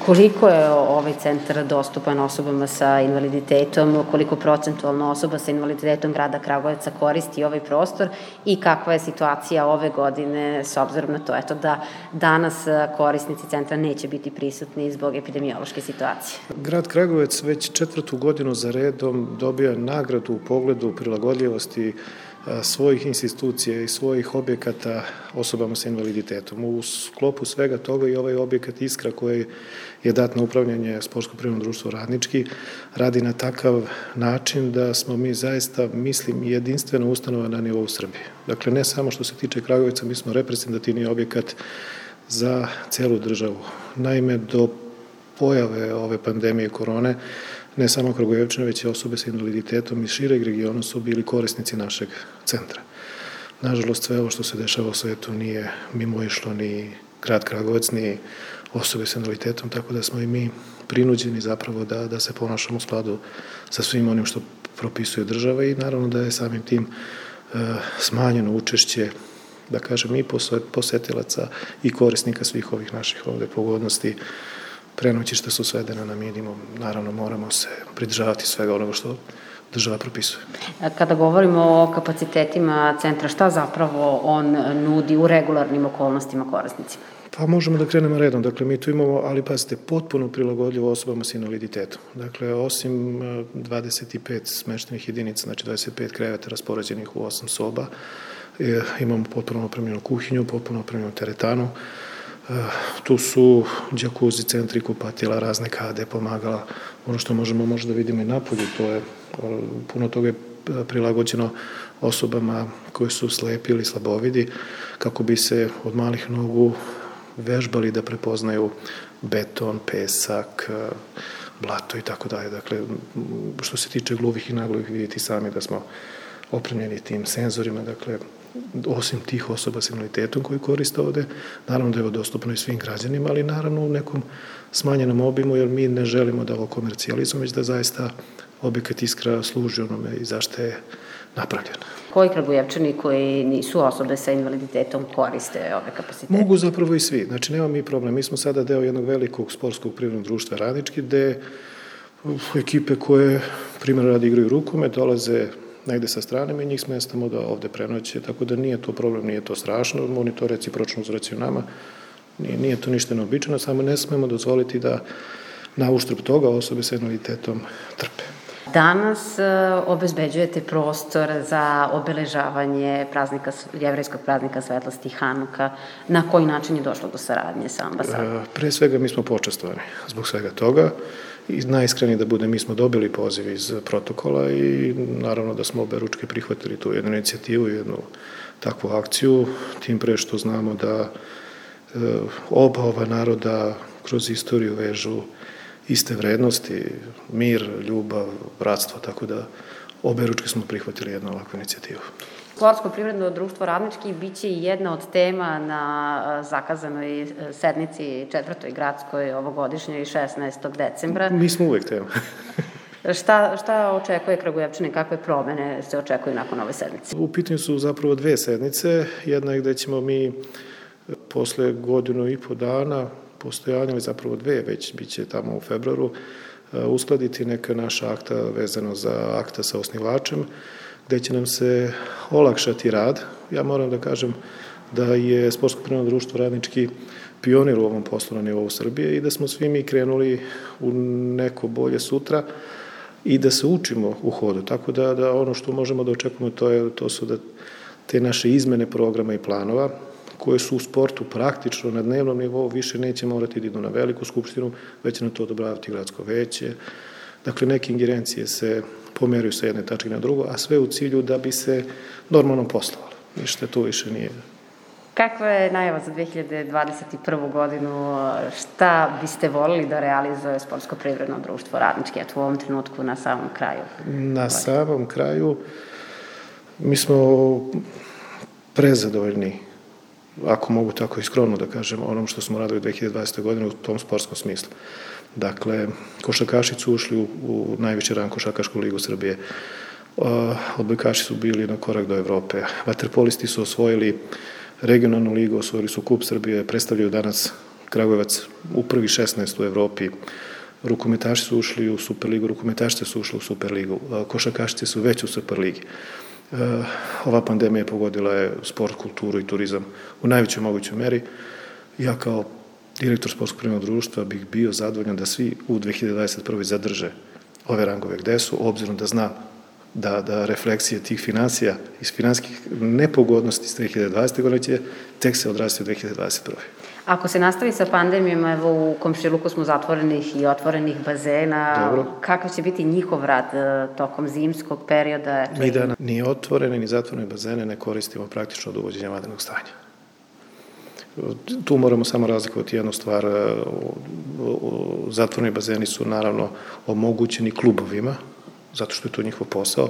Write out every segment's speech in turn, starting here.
Koliko je ovaj centar dostupan osobama sa invaliditetom, koliko procentualno osoba sa invaliditetom grada Kragujevca koristi ovaj prostor i kakva je situacija ove godine s obzirom na to da danas korisnici centra neće biti prisutni zbog epidemiološke situacije? Grad Kragujevac već 4. godinu za redom dobija nagradu u pogledu prilagodljivosti svojih institucija i svojih objekata osobama sa invaliditetom. U sklopu svega toga i ovaj objekat Iskra koji je dat na upravljanje Sportsko-privredno društvo Radnički radi na takav način da smo mi zaista, mislim, jedinstvena ustanova na nivou Srbije. Dakle, ne samo što se tiče Kragujevca, mi smo reprezentativni objekat za celu državu. Naime, do pojave ove pandemije korone, ne samo Kragujevčane, već i osobe sa invaliditetom iz šireg regiona su bili korisnici našeg centra. Nažalost, sve ovo što se dešava u svetu nije mimoišlo ni grad Kragujevac, ni osobe sa invaliditetom, tako da smo i mi prinuđeni zapravo da se ponašamo u skladu sa svim onim što propisuje država i naravno da je samim tim smanjeno učešće, da kažem, i posetilaca i korisnika svih ovih naših ovde pogodnosti. Prenoćišta su svedena na minimum, naravno moramo se pridržavati svega onoga što država propisuje. Kada govorimo o kapacitetima centra, šta zapravo on nudi u regularnim okolnostima korisnicima? Pa možemo da krenemo redom. Dakle, mi tu imamo, ali pazite, potpuno prilagodljivo osobama sa invaliditetom. Dakle, osim 25 smeštenih jedinica, znači 25 kreveta raspoređenih u 8 soba, imamo potpuno opremljenu kuhinju, potpuno opremljenu teretanu. Tu su džakuzi, centri kupatila, razne kade, pomagala. Ono što možemo možda vidimo i napolju, to je puno toga je prilagođeno osobama koji su slepi ili slabovidi, kako bi se od malih nogu vežbali da prepoznaju beton, pesak, blato i tako dalje. Dakle, što se tiče gluvih i nagluvih, vidite sami da smo opremljeni tim senzorima, dakle, osim tih osoba sa invaliditetom koji koriste ovde, naravno da je ovo dostupno i svim građanima, ali naravno u nekom smanjenom obimu, jer mi ne želimo da ovo komercijalizujemo, već da zaista objekat Iskra služi onome i zašto je napravljen. Koji Kragujevčani koji nisu osobe sa invaliditetom koriste ove kapacitete? Mogu zapravo i svi. Znači, nema mi problem. Mi smo sada deo jednog velikog sportskog privrednog društva Radnički, gde ekipe koje, primjer radi, igraju rukomet, dolaze negde sa strane, mi njih smestamo da ovde prenoće, tako da nije to problem, nije to strašno, oni to recipročno uzvraćaju nama, nije to ništa neobičajno, samo ne smemo dozvoliti da na uštrb toga osobe sa invaliditetom trpe. Danas obezbeđujete prostor za obeležavanje jevrejskog praznika svetlosti Hanuka. Na koji način je došlo do saradnje sa ambasadom? Pre svega mi smo počastvovani zbog svega toga i najiskreniji da bude, mi smo dobili poziv iz protokola i naravno da smo oberučke prihvatili tu jednu inicijativu, jednu takvu akciju, tim pre što znamo da oba ova naroda kroz istoriju vežu iste vrednosti, mir, ljubav, bratstvo, tako da oberučke smo prihvatili jednu ovakvu inicijativu. Sportsko-privredno društvo Radnički biće i jedna od tema na zakazanoj sednici 4. gradskoj ovogodišnjoj 16. decembra. Mi smo uvek tema. Šta očekuje Kragujevčani, kakve promene se očekuju nakon ove sednice? U pitanju su zapravo dve sednice. Jedna je gde ćemo mi posle godinu i po dana postojanja, ali zapravo dve, već bit će tamo u februaru, uskladiti neka naša akta vezano za akta sa osnivačem, gde će nam se olakšati rad. Ja moram da kažem da je Sportsko-privredno društvo Radnički pionir u ovom poslu na nivou Srbije i da smo svi mi krenuli u neko bolje sutra i da se učimo u hodu. Tako da ono što možemo da očekujemo to su da te naše izmene programa i planova koje su u sportu praktično na dnevnom nivou više neće morati da idu na veliku skupštinu, već će na to odobravati gradsko veće. Dakle, neke ingerencije se pomeraju sa jedne tačke na drugo, a sve u cilju da bi se normalno poslovalo. Ništa tu više nije. Kakva je najava za 2021. godinu? Šta biste volili da realizuje Sportsko-privredno društvo Radnički, u ovom trenutku na samom kraju? Na samom kraju mi smo prezadovoljni, ako mogu tako i skromno da kažem, onom što smo radili 2020. godine u tom sportskom smislu. Dakle, košarkaši su ušli u najviši rang košarkašku ligu Srbije. Odbojkaši su bili na korak do Evrope. Vaterpolisti su osvojili regionalnu ligu, osvojili su kup Srbije, predstavljaju danas Kragujevac u prvi 16 u Evropi, rukometaši su ušli u Superligu, rukometašice su ušli u Superligu, košarkašice su već u Superligi. Ova pandemija pogodila je sport, kulturu i turizam u najvećoj mogućoj meri. Ja kao direktor Sportskog privrednog društva bih bio zadovoljan da svi u 2021. zadrže ove rangove gde su, obzirom da znam da refleksije tih finansija iz finansijskih nepogodnosti iz 2020. godine će tek se odrasti u 2021. Ako se nastavi sa pandemijom, evo u komšiluku smo zatvorenih i otvorenih bazena, dobro, kakav će biti njihov rad tokom zimskog perioda? Mi da ni otvorene ni zatvorene bazene ne koristimo praktično od uvođenja vanrednog stanja. Tu moramo samo razlikovati jednu stvar. Zatvoreni bazeni su naravno omogućeni klubovima, zato što je to njihov posao.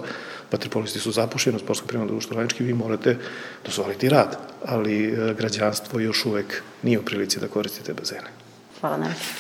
Vaterpolisti su zapošljeni u Sportskom privrednom društvu Radnički, vi morate dozvoliti rad, ali građanstvo još uvek nije u prilici da koristite bazene. Hvala najviše.